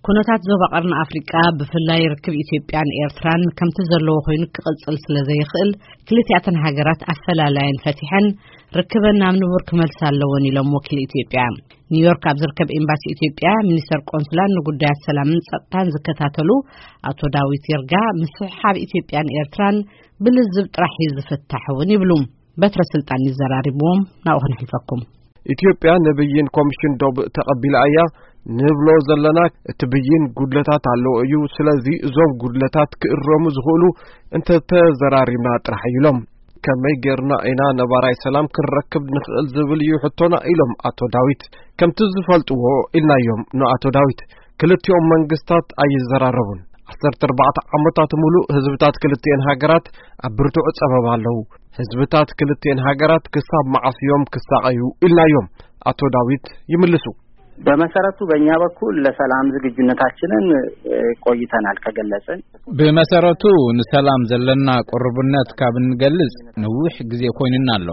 ኩነታት ዞባ ቀርኒ ኣፍሪቃ፣ ብፍላይ ርክብ ኢትዮጵያን ኤርትራን ከምቲ ዘለዎ ኮይኑ ክቕጽል ስለ ዘይኽእል፣ ክልቲኣተን ሃገራት ኣፈላላየን ፈቲሐን ርክበን ናብ ንቡር ክመልሳ ኣለወን ኢሎም ወኪል ኢትዮጵያ። ኒውዮርክ ኣብ ዝርከብ ኤምባሲ ኢትዮጵያ፣ ሚኒስተር ቆንስላን ንጉዳያት ሰላምን ጸጥታን ዝከታተሉ ኣቶ ዳዊት ይርጋ፣ ምስሕሓብ ኢትዮጵያን ኤርትራን ብልዝብ ጥራሕ እዩ ዝፍታሕ እውን ይብሉ። በትረ ስልጣን ይዘራርብዎም፣ ናብኡ ክነሕልፈኩም። ኢትዮጵያ ንብይን ኮሚሽን ዶብ ተቐቢላ እያ ንብሎ ዘለና፣ እቲ ብይን ጉድለታት ኣለዎ እዩ። ስለዚ እዞም ጉድለታት ክእረሙ ዝኽእሉ እንተተዘራሪብና ጥራሕ እዩ ኢሎም። ከመይ ጌርና ኢና ነባራይ ሰላም ክንረክብ ንኽእል ዝብል እዩ ሕቶና ኢሎም ኣቶ ዳዊት። ከምቲ ዝፈልጥዎ ኢልናዮም ንኣቶ ዳዊት። ክልቲኦም መንግስታት ኣይዘራረቡን። ዓሰርተ ኣርባዕተ ዓመታት ሙሉእ ህዝብታት ክልቲኤን ሃገራት ኣብ ብርቱዕ ጸበባ ኣለዉ። ህዝብታት ክልቲኤን ሃገራት ክሳብ መዓስ እዮም ክሳቐዩ ኢልናዮም። ኣቶ ዳዊት ይምልሱ። በመሰረቱ በእኛ በኩል ለሰላም ዝግጁነታችንን፣ እ፣ ቆይተናል ከገለጽን። ብመሰረቱ ንሰላም ዘለና ቅርብነት ካብ እንገልጽ ንዊሕ ግዜ ኮይንና ኣሎ።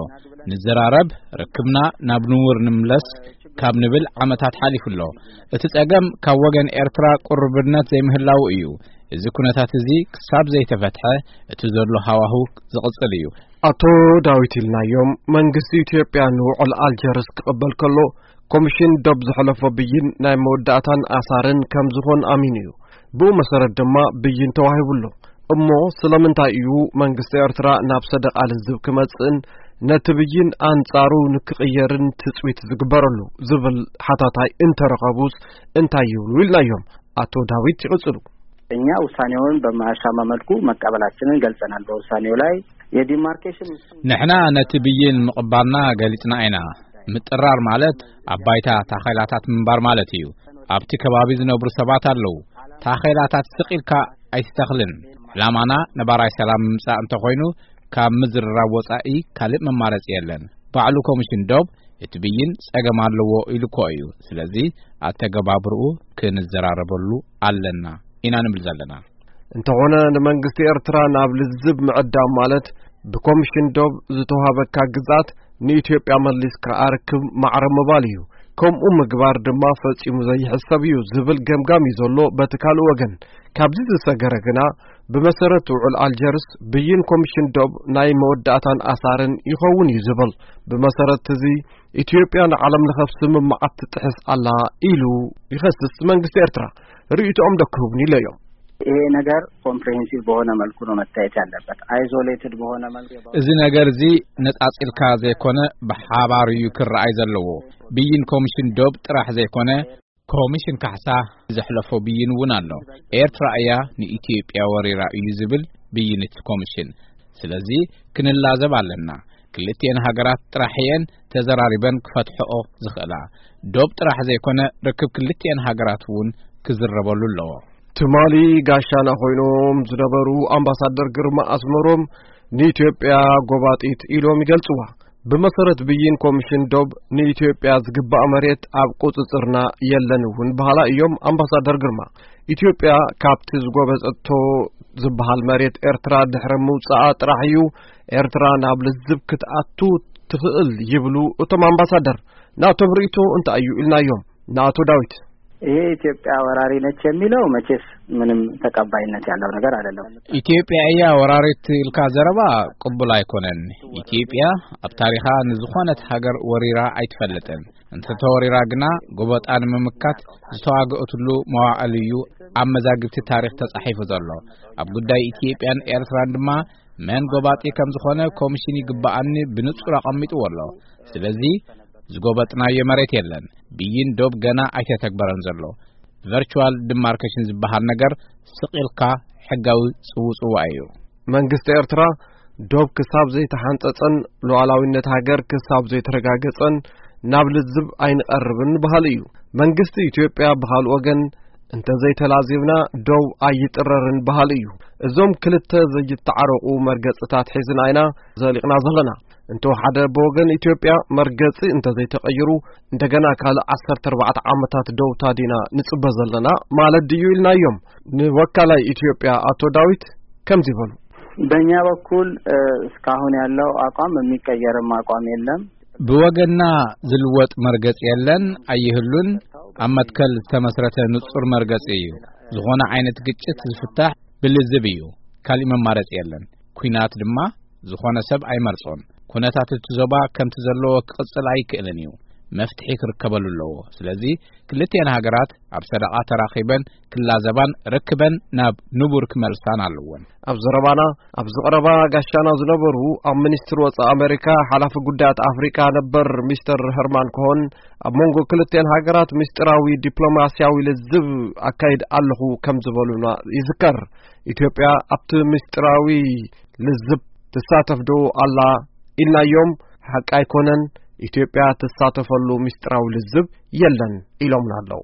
ንዘራረብ፣ ርክብና ናብ ንቡር ንምለስ ካብ ንብል ዓመታት ሓሊፉ ኣሎ። እቲ ጸገም ካብ ወገን ኤርትራ ቅርብነት ዘይምህላው እዩ። እዚ ኩነታት እዚ ክሳብ ዘይተፈትሐ እቲ ዘሎ ሃዋሁ ዝቕጽል እዩ። ኣቶ ዳዊት ኢልናዮም፣ መንግስቲ ኢትዮጵያ ንውዕል ኣልጀርስ ክቕበል ከሎ፣ ኮሚሽን ዶብ ዝሐለፎ ብይን ናይ መወዳእታን ኣሳርን ከም ዝኾን ኣሚኑ እዩ። ብኡ መሰረት ድማ ብይን ተዋሂቡ ኣሎ። እሞ ስለምንታይ እዩ መንግስቲ ኤርትራ ናብ ሰደቓ ልዝብ ክመጽእን ነቲ ብይን ኣንጻሩ ንክቕየርን ትጽቢት ዝግበረሉ ዝብል ሓታታይ እንተረኸቡስ እንታይ ይብሉ ኢልናዮም። ኣቶ ዳዊት ይቕጽሉ። እኛ ውሳኔውን በማያሻማ መልኩ መቀበላችንን ገልጸናል። በውሳኔው ላይ የዲማርኬሽን ንሕና ነቲ ብይን ምቕባልና ገሊጽና ኢና። ምጥራር ማለት ኣብ ባይታ ታኼላታት ምንባር ማለት እዩ። ኣብቲ ከባቢ ዝነብሩ ሰባት ኣለዉ። ታኼላታት ስቕ ኢልካ ኣይትተኽልን። ዕላማና ነባራይ ሰላም ምምጻእ እንተኾይኑ፣ ካብ ምዝርራብ ወጻኢ ካልእ መማረጺ የለን። ባዕሉ ኮሚሽን ዶብ እቲ ብይን ጸገም ኣለዎ ኢሉ እኮ እዩ። ስለዚ ኣተገባብርኡ ክንዘራረበሉ ኣለና ኢና ንብል ዘለና። እንተኾነ ንመንግስቲ ኤርትራ ናብ ልዝብ ምዕዳም ማለት ብኮሚሽን ዶብ ዝተዋሃበካ ግዝኣት ንኢትዮጵያ መሊስካ ኣርክብ ማዕረ ምባል እዩ። ከምኡ ምግባር ድማ ፈጺሙ ዘይሕሰብ እዩ ዝብል ገምጋም እዩ ዘሎ በቲ ካልእ ወገን። ካብዚ ዝሰገረ ግና ብመሰረት ውዕል ኣልጀርስ ብይን ኮሚሽን ዶብ ናይ መወዳእታን ኣሳርን ይኸውን እዩ ዝብል። ብመሰረት እዚ ኢትዮጵያ ንዓለም ለኸ ስምምዓት ትጥሕስ ኣላ ኢሉ ይኸስስ መንግስቲ ኤርትራ። ርእይቶኦም ዶ ክህቡኒ ኢለዮም። ይሄ ነገር ኮምፕሬሄንሲቭ በሆነ መልኩ ነው መታየት ያለበት። አይዞሌትድ በሆነ መልኩ እዚ ነገር እዚ ነጻጺልካ ዘይኮነ ብሓባር እዩ ክረኣይ ዘለዎ። ብይን ኮሚሽን ዶብ ጥራሕ ዘይኮነ ኮሚሽን ካሕሳ ዘሕለፎ ብይን እውን ኣሎ። ኤርትራ እያ ንኢትዮጵያ ወሪራ እዩ ዝብል ብይን እቲ ኮሚሽን። ስለዚ ክንላዘብ ኣለና። ክልቲኤን ሃገራት ጥራሕ እየን ተዘራሪበን ክፈትሕኦ ዝኽእላ። ዶብ ጥራሕ ዘይኮነ ርክብ ክልቲኤን ሃገራት እውን ክዝረበሉ ኣለዎ። ትማሊ ጋሻና ኮይኖም ዝነበሩ ኣምባሳደር ግርማ ኣስመሮም ንኢትዮጵያ ጎባጢት ኢሎም ይገልጽዋ። ብመሰረት ብይን ኮሚሽን ዶብ ንኢትዮጵያ ዝግባእ መሬት ኣብ ቁጽጽርና የለን እውን በሃላ እዮም ኣምባሳደር ግርማ። ኢትዮጵያ ካብቲ ዝጎበጠቶ ዝበሃል መሬት ኤርትራ ድሕሪ ምውጻኣ ጥራሕ እዩ ኤርትራ ናብ ልዝብ ክትኣቱ ትኽእል ይብሉ እቶም ኣምባሳደር። ናቶም ርእይቶ እንታይ እዩ ኢልናዮም ንኣቶ ዳዊት። ይሄ ኢትዮጵያ ወራሪ ነች የሚለው መቼስ ምንም ተቀባይነት ያለው ነገር አይደለም። ኢትዮጵያ እያ ወራሪት ኢልካ ዘረባ ቅቡል ኣይኮነን። ኢትዮጵያ ኣብ ታሪኻ ንዝኾነት ሃገር ወሪራ ኣይትፈልጥን። እንተተወሪራ ግና ጎበጣ ንምምካት ዝተዋገእትሉ መዋዕል እዩ ኣብ መዛግብቲ ታሪኽ ተጻሒፉ ዘሎ። ኣብ ጉዳይ ኢትዮጵያን ኤርትራን ድማ መን ጎባጢ ከም ዝኾነ ኮሚሽን ይግባኣኒ ብንጹር ኣቐሚጥዎ ኣሎ። ስለዚ ዝጎበጥናዮ መሬት የለን። ብይን ዶብ ገና ኣይተተግበረን ዘሎ። ቨርቹዋል ዲማርኬሽን ዝበሃል ነገር ስቕ ኢልካ ሕጋዊ ጽውጽዋይ እዩ። መንግስቲ ኤርትራ ዶብ ክሳብ ዘይተሓንጸጸን ሉዓላዊነት ሃገር ክሳብ ዘይተረጋገጸን ናብ ልዝብ ኣይንቐርብን በሃሊ እዩ። መንግስቲ ኢትዮጵያ ብኻልእ ወገን እንተዘይተላዚብና ዶብ ኣይጥረርን በሃሊ እዩ። እዞም ክልተ ዘይተዓረቑ መርገጽታት ሒዝና ኢና ዘሊቕና ዘለና። እንተወሓደ ብወገን ኢትዮጵያ መርገጺ እንተዘይተቐይሩ እንደገና ካልእ ዓሰርተ ኣርባዕተ ዓመታት ዶብ ታዲና ንጽበ ዘለና ማለት ድዩ ኢልናዮም። ንወካላይ ኢትዮጵያ ኣቶ ዳዊት ከምዚ በሉ። በእኛ በኩል፣ እ፣ እስካሁን ያለው አቋም የሚቀየርም አቋም የለም። ብወገና ዝልወጥ መርገጽ የለን፣ ኣይህሉን። ኣብ መትከል ዝተመስረተ ንጹር መርገጽ እዩ። ዝኾነ ዓይነት ግጭት ዝፍታሕ ብልዝብ እዩ። ካሊእ መማረጺ የለን። ኲናት ድማ ዝኾነ ሰብ ኣይመርጾን። ኩነታት እቲ ዞባ ከምቲ ዘለዎ ክቕጽል ኣይክእልን እዩ። መፍትሒ ክርከበሉ ኣለዎ። ስለዚ ክልቲኤን ሃገራት ኣብ ሰደቓ ተራኺበን ክላዘባን ርክበን ናብ ንቡር ክመልሳን ኣለወን። ኣብ ዘረባና፣ ኣብ ዝቐረባ ጋሻና ዝነበሩ ኣብ ሚኒስትሪ ወጻኢ ኣሜሪካ ሓላፊ ጉዳያት ኣፍሪቃ ነበር ሚስተር ሄርማን ኮሆን፣ ኣብ መንጎ ክልቲኤን ሃገራት ምስጢራዊ ዲፕሎማስያዊ ልዝብ ኣካይድ ኣለኹ ከም ዝበሉና ይዝከር። ኢትዮጵያ ኣብቲ ምስጢራዊ ልዝብ ትሳተፍ ዶ ኣላ ኢልናዮም፣ ሓቂ ኣይኮነን፣ ኢትዮጵያ ትሳተፈሉ ምስጢራዊ ልዝብ የለን ኢሎምና ኣለዉ።